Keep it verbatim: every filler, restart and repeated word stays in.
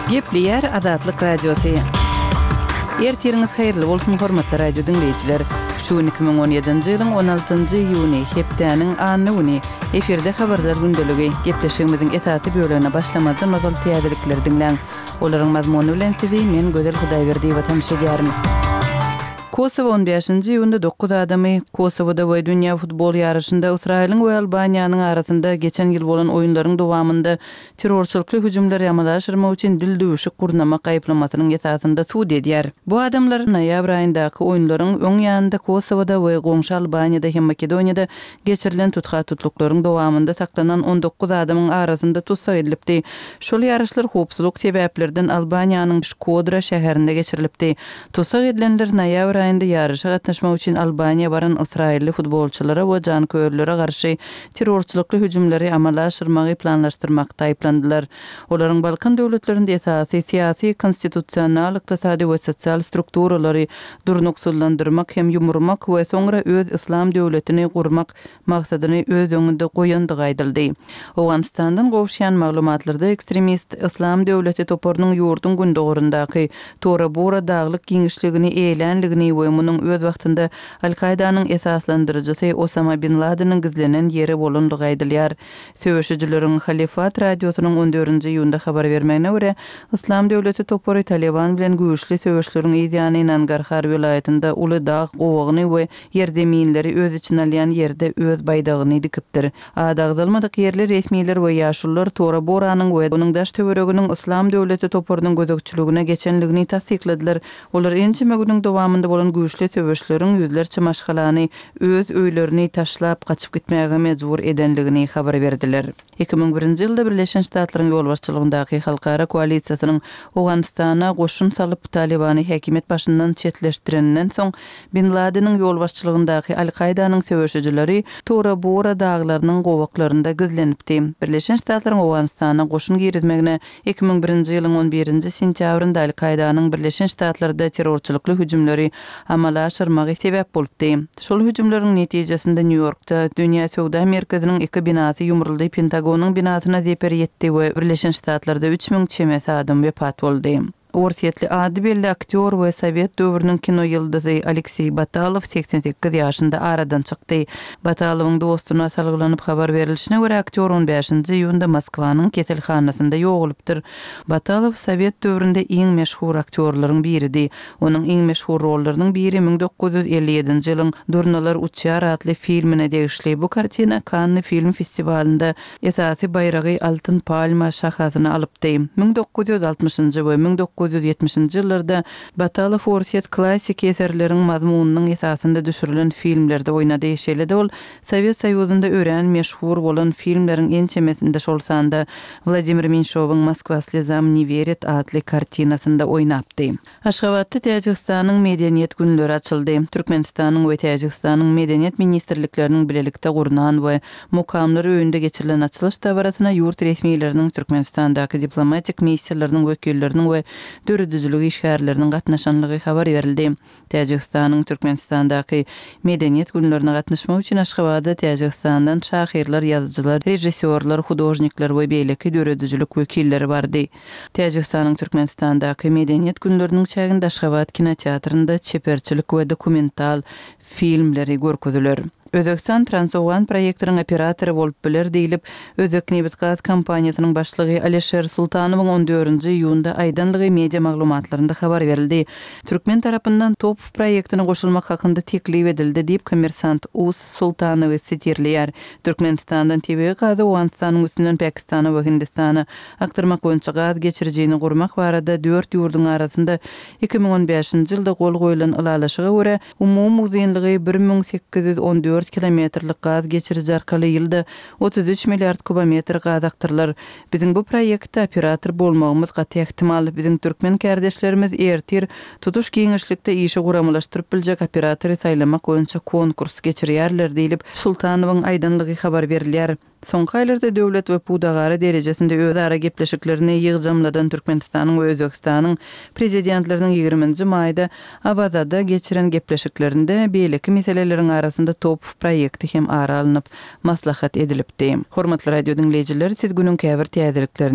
Gepleýär Azatlyk Radiosy. Ertiriňiz haýyrly bolsun, hormatly radio diňleýjiler. Şu gün iki müň on ýedinji ýylyň on altynjy iýuny, hepdäniň anna güni. Efirde Habarlar gündeligi. Gepleşigimiziň esasy bölegine başlamazdan ozal täzelikleri diňläň. Olaryň mazmuny bilen sizi men Gözel Hudaýberdiýewa tanyş edýärin. Kosowo on bäşinji iýunda dokuz adamy Kosowada we dünýä futbol ýaryşynda Ysraýylyň we Albaniýanyň arasynda geçen ýyl bolan oýunlaryň dowamynda terrorçylykly hüjümleri amala aşyrmak üçin dildüwşük gurnamak aýyplamasynyň esasynda sud edýär. Bu adamlar noýabr aýyndaky oýunlaryň öň ýanynda Kosowada we goňşy Albaniýada hem Makedoniýada geçirilen tutha-tutluklaryň dowamynda saklanan on dokuz adamyň arasynda tussag edilipdi. Şol ýaryşlar howpsuzlyk sebäplerden Albaniýanyň Şkodra şäherinde geçirilipdi. Tussag edilenler noýabr aýynda ýaryşa gatnaşmak üçin Albaniýa baran ysraýylly futbolçylara we janköýerlere garşy terrorçylykly hüjümleri amala aşyrmagy planlaşdyrmakda aýyplandylar. Olaryň Balkan döwletlerinde esasy syýasy, konstitusional, ykdysady we sosial strukturalary durnuksyzlandyrmak hem ýumurmak we soňra öz yslam döwletini gurmak maksadyny öz öňünde goýandygy aýdyldy. Owganystandan gowuşýan maglumatlarda ekstremist Yslam döwleti toparynyň ýurduň gündogaryndaky Tora-Bora daglyk giňişligini eýlänligini we munuň öz wagtynda Al-Kaýdanyň esaslandyryjysy Osama bin Ladeniň gizlenen ýeri bolandygy aýdylýar. Söweşijileriň Halifat radiosynyň on dördünji iýunda habar bermegine görä, Yslam döwleti topary Taliban bilen güýçli söweşleriň yz ýany Nangarhar welaýatynda uly dag gowagyny we ýerzeminleri öz içine alýan ýerde öz baýdagyny dikipdir. Ady agzalmadyk ýerli resmiler we ýaşulular Tora-Boranyň we onuň daş-töwereginiň Yslam döwleti toparynyň gözegçiligine geçenligini tassykladylar. Olar ençeme günüň dowamynda bolan güýçli söweşleriň ýüzlerçe maşgalany öz öýlerini taşlap gaçyp gitmäge mejbur edenligini habar berdiler. Iki müň birinji ýylda Birleşen Ştatlaryň ýolbaşçylygyndaky halkara koalisiýasynyň Owganystana goşun salyp, Talybany häkimiýet başyndan çetleşdireninden soň, Bin Ladeniň ýolbaşçylygyndaky Al-Kaýdanyň söweşijileri Tora-Bora daglarynyň gowaklarynda gizlenipdi. Birleşen Ştatlaryň Owganystana goşun girizmegine iki müň birinji ýylyň on birinji sentýabrynda Al-Kaýdanyň Birleşen Ştatlarda terrorçylykly hüjümleri amala aşyrmagy sebäp bolupdy. Şol hüjümleriň netijesinde Nýu-Ýorkda Dünýä söwda merkeziniň iki binasy ýumruldy, Pentagonyň binasyna zeper ýetdi we Birleşen Ştatlarda üç müň çemesi adam wepat boldy. Orsýetli ady belli aktýor we sowet döwrüniň kino ýyldyzy Alekseý Batalow segsen sekiz ýaşynda aradan çykdy. Batalowyň dostuna salgylanyp habar berilişine görä, aktýor on bäşinji iýunda Moskwanyň keselhanasynda ýogalypdyr. Batalow sowet döwründe iň meşhur aktýorlaryň biridi. Onuň iň meşhur rollarynyň biri müň dokuz ýüz elli ýedinji ýylyň Durnalar uçýar atly filmine degişli. Bu kartina Kanny film festiwalynda esasy baýragy Altyn palma şahasyny alypdy. Müň dokuz ýüz altmyşynjy we müň dokuz ýüz ýetmişinji ýyllarda Batalow orsýet klassiki eserleriň mazmunynyň esasynda düşürilen filmlerde oýnady. Şeýle-de ol Sowet Soýuzynda örän meşhur bolan filmleriň ençemesinde, şol sanda Wladimir Menşowyň Moskwa slezam ne werit atly kartinasynda oýnapdy. Aşgabatda Täjigistanyň Medeniýet günleri açyldy. Türkmenistanyň we Täjigistanyň Medeniýet ministrlikleriniň bilelikde gurnan we Mukamlar öýünde geçirilen açylyş dabarasyna ýurt resmileriniň, Türkmenistandaky diplomatik missiýalarynyň wekilleriniň we döredijilik işgärleriniň gatnaşanlygy habar berildi. Täjigistanyň Türkmenistandaky Medeniýet günlerine gatnaşmak üçin Aşgabada Täjigistandan şahyrlar, ýazyjylar, režissýorlar, hudožnikler we beýleki döredijilik wekilleri bardy. Täjigistanyň Türkmenistandaky Medeniýet günleriniň çäginde Aşgabat kinoteatrynda çeperçilik we dokumental filmleri görkeziler. Özbegistan Transowgan proýektiniň operatory bolup biler diýlip, Özbeknebitgaz kompaniýasynyň başlygy Alişer Sultanowyň on dördünji iýunda aýdanlygy media maglumatlarynda habar berildi. Türkmen tarapyndan TOPH proýektine goşulmak hakynda teklip edildi diýip, Kommersant uz Sultanowy sitirleýär. Türkmenistandan tebigy gazy Owganystanyň üstünden Pakistana we Hindistana akdyrmak boýunça gaz geçirijini gurmak barada dört ýurduň arasynda iki müň on bäşinji ýylda gol goýlan ylalaşyga görä, umumy uzynlygy bir müň sekiz ýüz on dört kilometrlik gaz geçiriji arkaly ýylda otuz üç milliard kubometr gaz akdyrylar. Biziň bu proýektde operator bolmagymyz gaty ähtimal. Biziň türkmen kärdeşlerimiz ertir tutuş giňişlikde işi guramalaşdyryp biljek operatory saýlamak boýunça konkurs geçirýärler diýlip, Sultanowyň aýdanlygy habar berilýär. Soňky aýlarda döwlet we pudagara derejesinde özara gepleşiklerini ýygjamladan Türkmenistanyň we Özbegistanyň Prezidentleriniň ýigriminji maýda Awazada geçiren gepleşiklerinde beýleki meseleleriň arasynda TOPH proýekti hem ara alnyp maslahat edilipdi. Hormatly radio diňleýjiler, siz günüň käbir täzeliklerini